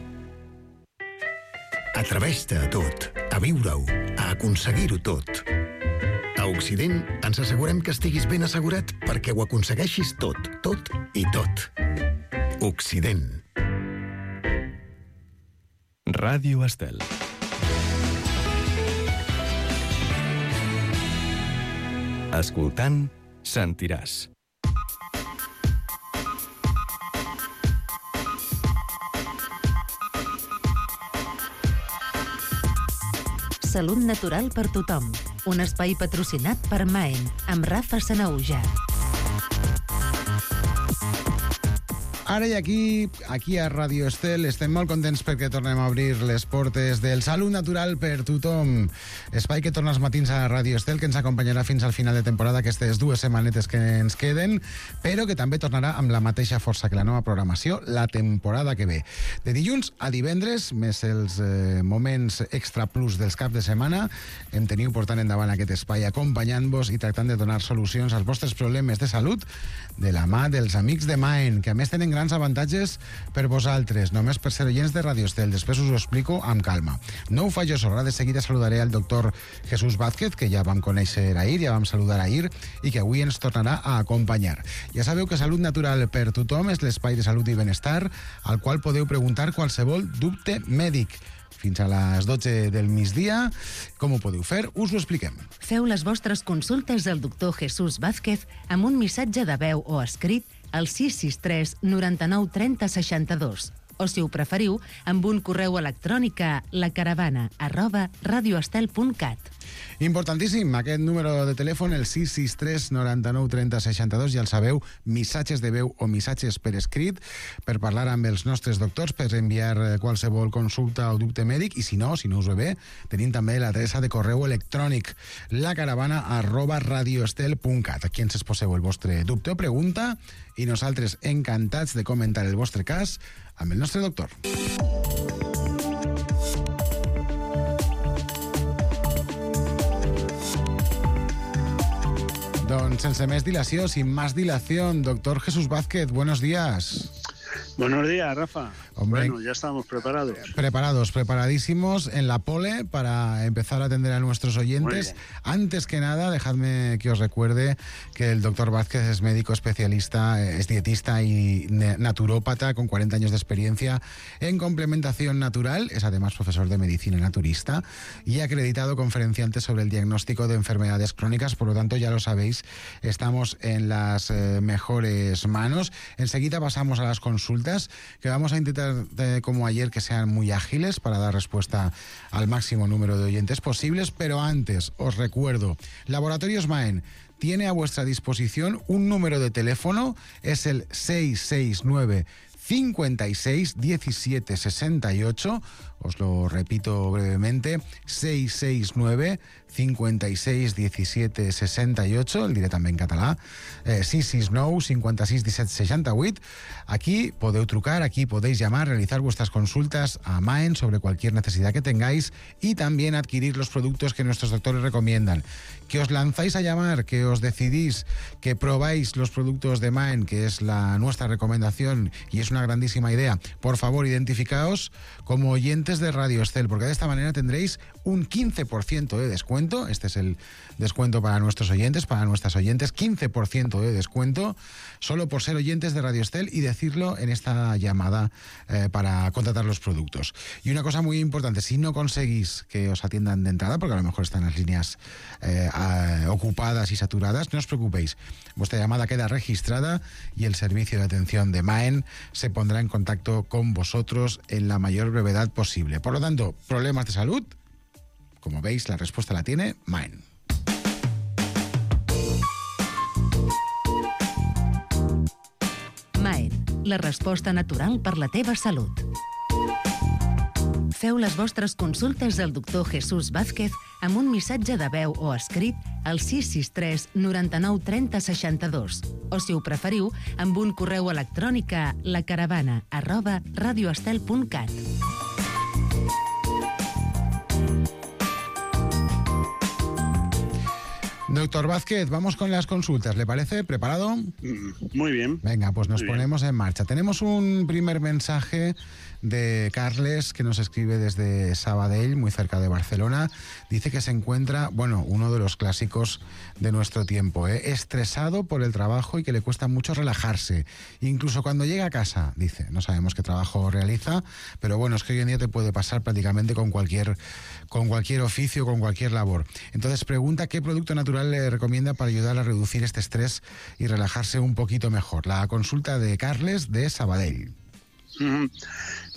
Atreveix-te a tot, a viure-ho, a aconseguir-ho tot. A Occident ens assegurem que estiguis ben assegurat perquè ho aconsegueixis tot, tot i tot. Occident. Ràdio Estel. Escoltant, sentiràs. Salut natural per tothom. Un espai patrocinat per Maen, amb Rafa Sanahuja. Ara i aquí a Ràdio Estel, estem molt contents perquè tornem a obrir les portes del Salut Natural per tothom. Espai que torna els matins a Ràdio Estel, que ens acompanyarà fins al final de temporada, aquestes 2 setmanetes que ens queden, però que també tornarà amb la mateixa força que la nova programació la temporada que ve. De dilluns a divendres, més els moments extra plus dels caps de setmana, em teniu portant endavant aquest espai acompanyant-vos i tractant de donar solucions als vostres problemes de salut de la mà dels amics de Maen, que a més tenen grans avantatges per vosaltres, només per ser oients de Ràdio Estel. Després us ho explico amb calma. No ho faig jo sola, de seguida saludaré al doctor Jesús Vázquez, que ja vam conèixer ahir, ja vam saludar ahir, i que avui ens tornarà a acompanyar. Ja sabeu que Salut Natural per tothom és l'espai de salut i benestar al qual podeu preguntar qualsevol dubte mèdic. Fins a les 12 del migdia. Com ho podeu fer? Us ho expliquem. Feu les vostres consultes al doctor Jesús Vázquez amb un missatge de veu o escrit al 663 99 30 62. O, si ho preferiu, amb un correu electrònic a lacaravana@radioestel.cat. Importantíssim, aquest número de telèfon, el 663 99 30 62, ja el sabeu, missatges de veu o missatges per escrit, per parlar amb els nostres doctors, per enviar qualsevol consulta o dubte mèdic, i si no us ve bé, tenim també l'adreça de correu electrònic, lacaravana@radioestel.cat. Aquí ens exposeu el vostre dubte o pregunta, i nosaltres encantats de comentar el vostre cas amb el nostre doctor. Doncs sense més dilació, sin más dilación, doctor Jesús Vázquez, buenos días. Buenos días, Rafa. Hombre, bueno, ya estamos preparados. Preparadísimos en la pole para empezar a atender a nuestros oyentes. Antes que nada, dejadme que os recuerde que el doctor Vázquez es médico especialista, es dietista y naturópata con 40 años de experiencia en complementación natural. Es además profesor de medicina naturista y acreditado conferenciante sobre el diagnóstico de enfermedades crónicas. Por lo tanto, ya lo sabéis, estamos en las mejores manos. Enseguida pasamos a las consultas, que vamos a intentar, como ayer, que sean muy ágiles para dar respuesta al máximo número de oyentes posibles. Pero antes, os recuerdo, Laboratorios Maen tiene a vuestra disposición un número de teléfono, es el 669 56 17 68. Os lo repito brevemente, 669 56 17 68, el diré també en català, 669 56 17 68. Aquí podeu trucar, aquí podéis llamar, realizar vuestras consultas a Maen sobre cualquier necesidad que tengáis y también adquirir los productos que nuestros doctores recomiendan. Que os lanzáis a llamar, que os decidís, que probáis los productos de Maen, que es nuestra recomendación y es una grandísima idea. Por favor, identificaos como oyentes de Radio Estel, porque de esta manera tendréis un 15% de descuento. Este es el descuento para nuestros oyentes, para nuestras oyentes, 15% de descuento, solo por ser oyentes de Radio Estel y decirlo en esta llamada para contratar los productos. Y una cosa muy importante, si no conseguís que os atiendan de entrada, porque a lo mejor están las líneas ocupadas y saturadas, no os preocupéis. Vuestra llamada queda registrada y el servicio de atención de Maen se pondrá en contacto con vosotros en la mayor brevedad posible. Por lo tanto, problemas de salud, como veis, la respuesta la tiene Maen. Maen, la resposta natural per la teva salut. Feu les vostres consultes al doctor Jesús Vázquez amb un missatge de veu o escrit al 663 99 30 62 o, si ho preferiu, amb un correu electrònic a lacaravana@radioestel.cat. Doctor Vázquez, vamos con las consultas, ¿le parece? ¿Preparado? Muy bien. Venga, pues nos Muy bien. ponemos en marcha. Tenemos un primer mensaje de Carles, que nos escribe desde Sabadell, muy cerca de Barcelona. Dice que se encuentra, bueno, uno de los clásicos de nuestro tiempo, estresado por el trabajo y que le cuesta mucho relajarse. Incluso cuando llega a casa, dice, no sabemos qué trabajo realiza, pero bueno, es que hoy en día te puede pasar prácticamente con cualquier oficio, con cualquier labor. Entonces pregunta qué producto natural le recomienda para ayudar a reducir este estrés y relajarse un poquito mejor. La consulta de Carles de Sabadell.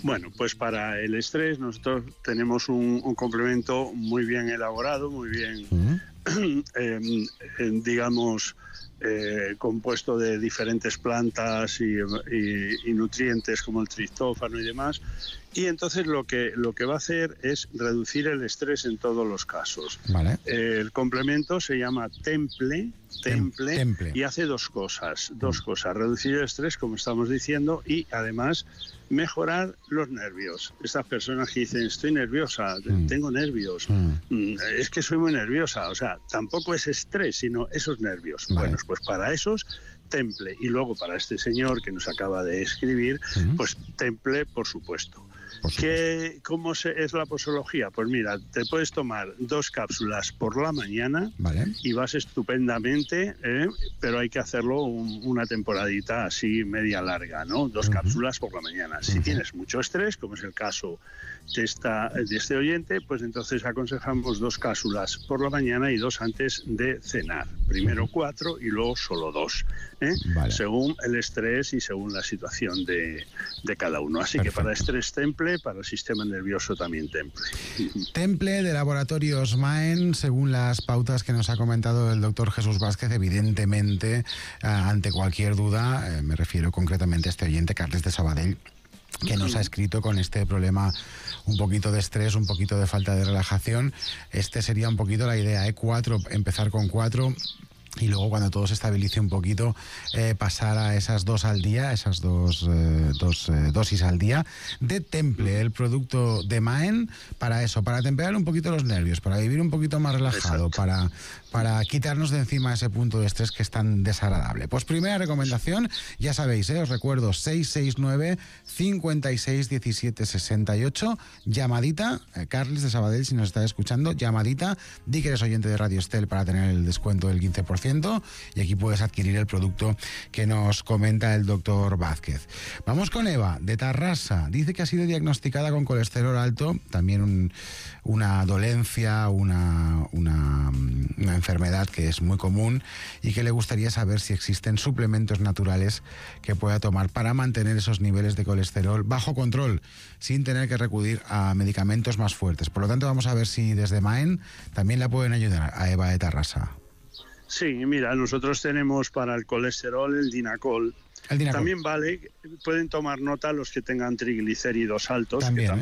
Bueno, pues para el estrés nosotros tenemos un complemento muy bien elaborado, muy bien, digamos, compuesto de diferentes plantas y nutrientes como el triptófano y demás. Y entonces lo que va a hacer es reducir el estrés en todos los casos. Vale. El complemento se llama Temple, y hace dos cosas, reducir el estrés, como estamos diciendo, y además mejorar los nervios. Estas personas que dicen, estoy nerviosa, tengo nervios, es que soy muy nerviosa, o sea, tampoco es estrés, sino esos nervios. Vale. Bueno, pues para esos, Temple. Y luego para este señor que nos acaba de escribir, pues Temple, por supuesto. ¿Cómo es la posología? Pues mira, te puedes tomar 2 cápsulas por la mañana, Vale. y vas estupendamente, pero hay que hacerlo una temporadita así media larga, ¿no? 2 cápsulas por la mañana. Si tienes mucho estrés, como es el caso de este oyente, pues entonces aconsejamos 2 cápsulas por la mañana y 2 antes de cenar. Primero 4 y luego solo 2, Vale. según el estrés y según la situación de cada uno. Así Perfecto. que para estrés Temple Temple, para el sistema nervioso también Temple. Temple de Laboratorios Maen, según las pautas que nos ha comentado el doctor Jesús Vázquez, evidentemente, ante cualquier duda, me refiero concretamente a este oyente, Carles de Sabadell, que nos ha escrito con este problema, un poquito de estrés, un poquito de falta de relajación. Este sería un poquito la idea, 4, empezar con 4... y luego cuando todo se estabilice un poquito pasar a esas 2 al día, esas dos dosis al día de Temple, el producto de Maen, para eso, para temperar un poquito los nervios, para vivir un poquito más relajado, para quitarnos de encima ese punto de estrés que es tan desagradable. Pues primera recomendación, ya sabéis, os recuerdo, 669 56 17 68, llamadita, Carles de Sabadell, si nos está escuchando, llamadita, di que eres oyente de Radio Estel para tener el descuento del 15%, y aquí puedes adquirir el producto que nos comenta el doctor Vázquez. Vamos con Eva, de Tarrasa. Dice que ha sido diagnosticada con colesterol alto, también una dolencia, una enfermedad que es muy común, y que le gustaría saber si existen suplementos naturales que pueda tomar para mantener esos niveles de colesterol bajo control, sin tener que recurrir a medicamentos más fuertes. Por lo tanto, vamos a ver si desde Maen también la pueden ayudar a Eva de Tarrasa. Sí, mira, nosotros tenemos para el colesterol el Dinacol. También vale, pueden tomar nota los que tengan triglicéridos altos, también, que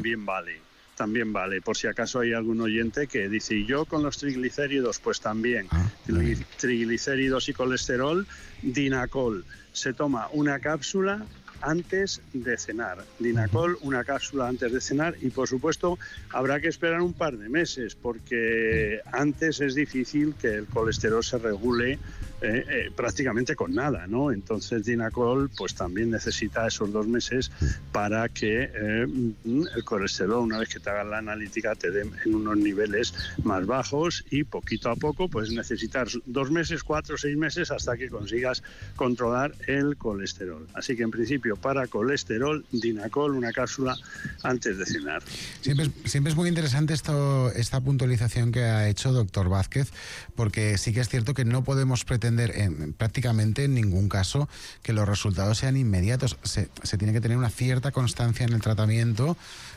también vale, por si acaso hay algún oyente que dice, ¿y yo con los triglicéridos? Pues también, triglicéridos y colesterol, Dinacol. Se toma una cápsula antes de cenar. Dinacol, una cápsula antes de cenar, y por supuesto habrá que esperar un par de meses porque antes es difícil que el colesterol se regule prácticamente con nada, ¿no? Entonces Dinacol pues también necesita esos 2 meses para que el colesterol, una vez que te hagan la analítica, te den en unos niveles más bajos, y poquito a poco pues necesitar 2 meses, 4, 6 meses hasta que consigas controlar el colesterol. Así que en principio para colesterol, Dinacol, una cápsula antes de cenar. Siempre es muy interesante esta puntualización que ha hecho doctor Vázquez, porque sí que es cierto que no podemos pretender prácticamente en ningún caso que los resultados sean inmediatos. Se tiene que tener una cierta constancia en el tratamiento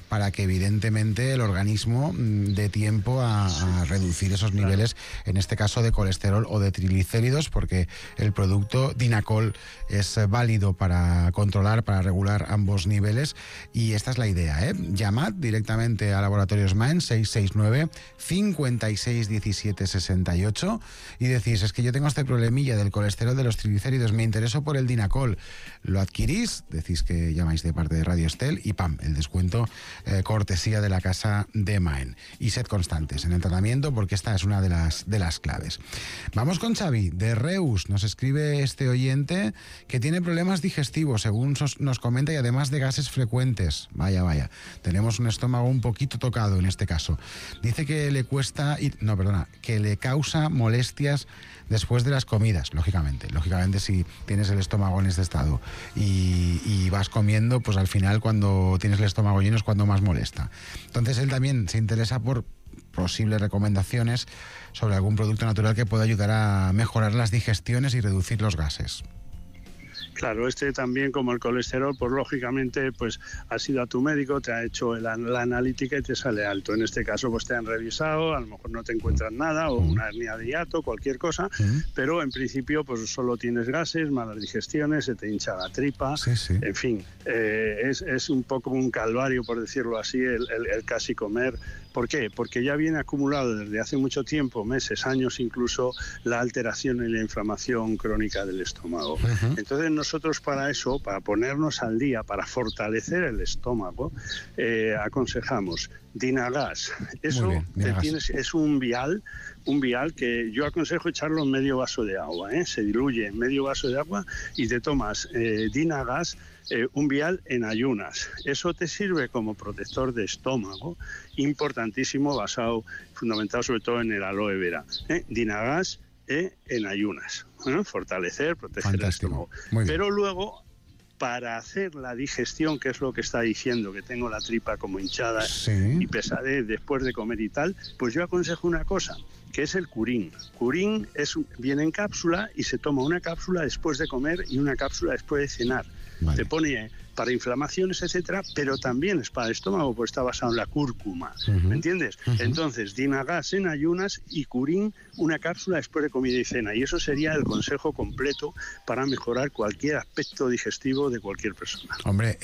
para que evidentemente el organismo dé tiempo a reducir esos niveles, en este caso de colesterol o de triglicéridos, porque el producto Dinacol es válido para controlar, para regular ambos niveles, y esta es la idea, Llamad directamente a Laboratorios Maen, 669 56 17 68, y decís, es que yo tengo este problemilla del colesterol, de los triglicéridos, me intereso por el Dinacol. Lo adquirís, decís que llamáis de parte de Radio Estel, y ¡pam!, el descuento cortesía de la casa de Maen. Y sed constantes en el tratamiento, porque esta es una de las claves. Vamos con Xavi, de Reus. Nos escribe este oyente que tiene problemas digestivos, según nos comenta, y además de gases frecuentes. Vaya. Tenemos un estómago un poquito tocado en este caso. Dice que que le causa molestias después de las comidas, lógicamente si tienes el estómago en este estado y vas comiendo, pues al final cuando tienes el estómago lleno es cuando más molesta. Entonces él también se interesa por posibles recomendaciones sobre algún producto natural que pueda ayudar a mejorar las digestiones y reducir los gases. Claro, también, como el colesterol, pues lógicamente pues has ido a tu médico, te ha hecho la analítica y te sale alto. En este caso pues te han revisado, a lo mejor no te encuentran nada, o una hernia de hiato, cualquier cosa, pero en principio pues solo tienes gases, malas digestiones, se te hincha la tripa, en fin, es un poco un calvario, por decirlo así, el casi comer. ¿Por qué? Porque ya viene acumulado desde hace mucho tiempo, meses, años incluso, la alteración y la inflamación crónica del estómago. Entonces nosotros para eso, para ponernos al día, para fortalecer el estómago, aconsejamos Dinagas. Eso es un vial que yo aconsejo echarlo en medio vaso de agua, se diluye en medio vaso de agua y te tomas Dinagas, un vial en ayunas. Eso te sirve como protector de estómago, importantísimo, fundamentado sobre todo en el aloe vera. Dinagas en ayunas, fortalecer, proteger el estómago. Pero luego, para hacer la digestión, que es lo que está diciendo, que tengo la tripa como hinchada y pesadez después de comer y tal, pues yo aconsejo una cosa, que es el Curín. Curín viene en cápsula y se toma una cápsula después de comer y una cápsula después de cenar. Te pone para inflamaciones, etcétera, pero también es para el estómago, porque está basado en la cúrcuma, ¿me entiendes? Entonces, Dynagas en ayunas y Curín, una cápsula después de comida y cena, y eso sería el consejo completo para mejorar cualquier aspecto digestivo de cualquier persona. Hombre,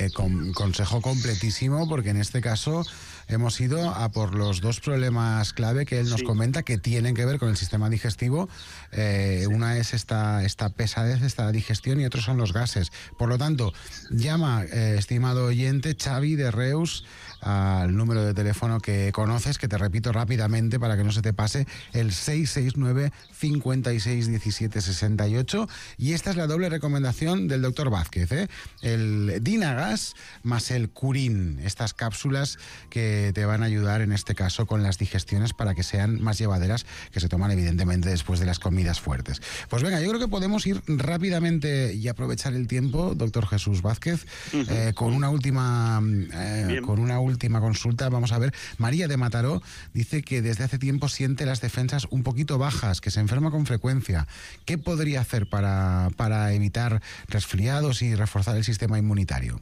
consejo completísimo, porque en este caso hemos ido a por los dos problemas clave que él nos comenta, que tienen que ver con el sistema digestivo. Una es esta pesadez, esta digestión, y otros son los gases. Por lo tanto, llama, estimado oyente, Xavi de Reus, al número de teléfono que conoces, que te repito rápidamente para que no se te pase, el 669 56 17 68, y esta es la doble recomendación del doctor Vázquez, el Dynagas más el Curín, estas cápsulas que te van a ayudar en este caso con las digestiones para que sean más llevaderas, que se toman evidentemente después de las comidas fuertes. Pues venga, yo creo que podemos ir rápidamente y aprovechar el tiempo, doctor Jesús Vázquez, con una última consulta. Vamos a ver, María de Mataró dice que desde hace tiempo siente las defensas un poquito bajas, que se enferma con frecuencia. ¿Qué podría hacer para evitar resfriados y reforzar el sistema inmunitario?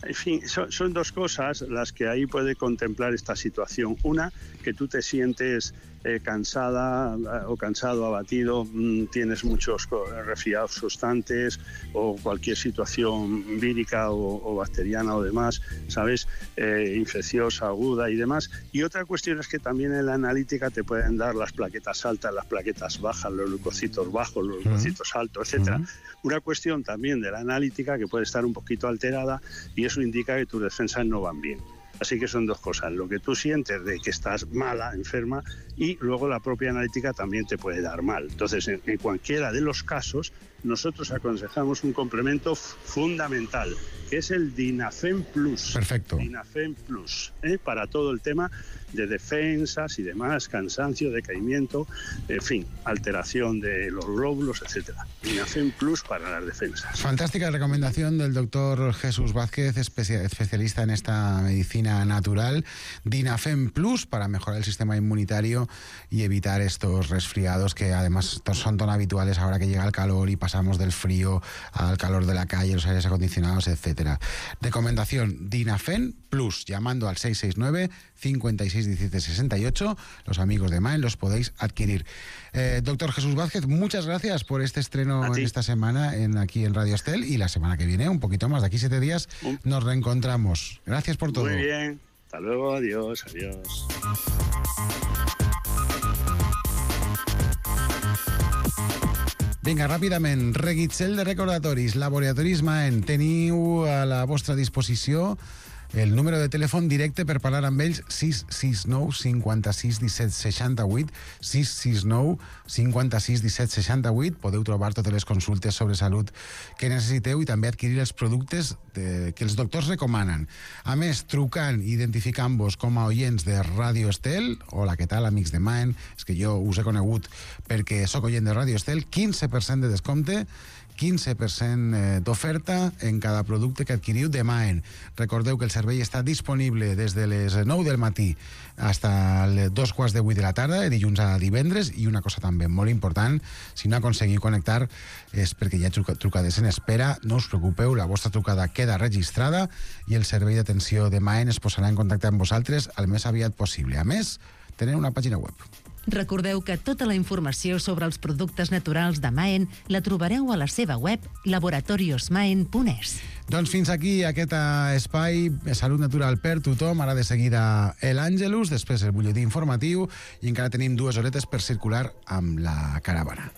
En fin, son dos cosas las que ahí puede contemplar esta situación. Una, que tú te sientes cansada o cansado, abatido, tienes muchos resfriados constantes o cualquier situación vírica o bacteriana o demás, ¿sabes? Infecciosa, aguda y demás. Y otra cuestión es que también en la analítica te pueden dar las plaquetas altas, las plaquetas bajas, los leucocitos bajos, los leucocitos altos, etcétera. Una cuestión también de la analítica que puede estar un poquito alterada, y eso indica que tus defensas no van bien. Así que son dos cosas, lo que tú sientes de que estás mala, enferma, y luego la propia analítica también te puede dar mal. Entonces, en cualquiera de los casos, nosotros aconsejamos un complemento fundamental, que es el Dinafen Plus. Perfecto. Dinafen Plus, para todo el tema de defensas y demás, cansancio, decaimiento, en fin, alteración de los glóbulos, etcétera. Dinafen Plus para las defensas. Fantástica recomendación del doctor Jesús Vázquez, especialista en esta medicina natural. Dinafen Plus para mejorar el sistema inmunitario y evitar estos resfriados que además son tan habituales ahora que llega el calor y pasamos del frío al calor de la calle, los aires acondicionados, etcétera. Recomendación Dinafen Plus, llamando al 669 56 17 68. Los amigos de Maen los podéis adquirir. Doctor Jesús Vázquez, muchas gracias por este estreno en esta semana aquí en Radio Estel, y la semana que viene, un poquito más, de aquí 7 días, nos reencontramos. Gracias por todo. Muy bien, hasta luego, adiós. Vinga, ràpidament, reguitzell de recordatoris, Laboratoris Maen, teniu a la vostra disposició el número de telèfon directe per parlar amb ells, 669 56 17 68, 669 56 17 68. Podeu trobar totes les consultes sobre salut que necessiteu i també adquirir els productes que els doctors recomanen. A més, trucant i identificant-vos com a oients de Radio Estel, hola, què tal, amics de Maen, és que jo us he conegut perquè sóc oient de Radio Estel, 15% de descompte, 15% d'oferta en cada producte que adquiriu de Maen. Recordeu que el servei està disponible des de les 9 del matí fins a les 7:15 de la tarda, de dilluns a divendres. I una cosa també molt important, si no aconseguiu connectar és perquè hi ha trucades en espera. No us preocupeu, la vostra trucada queda registrada i el servei d'atenció de Maen es posarà en contacte amb vosaltres el més aviat possible. A més, tenen una pàgina web. Recordeu que tota la informació sobre els productes naturals de Maen la trobareu a la seva web laboratoriosmaen.es. Doncs fins aquí aquest espai Salut Natural per tothom. Ara de seguida l'Àngelus, després el butlletí informatiu, i encara tenim 2 horetes per circular amb la caravana.